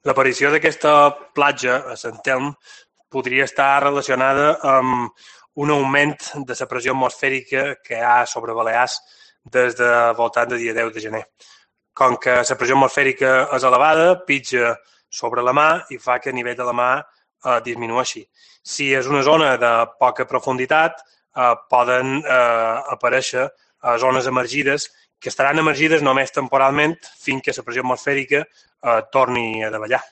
L'aparició d'aquesta platja a Sant Telm podria estar relacionada amb un augment de la pressió atmosfèrica que hi ha sobre Balears des de voltant del dia 10 de gener. Com que la pressió atmosfèrica és elevada, pitja sobre la mar i fa que el nivell de la mar disminueixi. Si és una zona de poca profunditat, poden aparèixer zones emergides que estaran emergides només temporalment fins que la pressió atmosfèrica torni a davallar.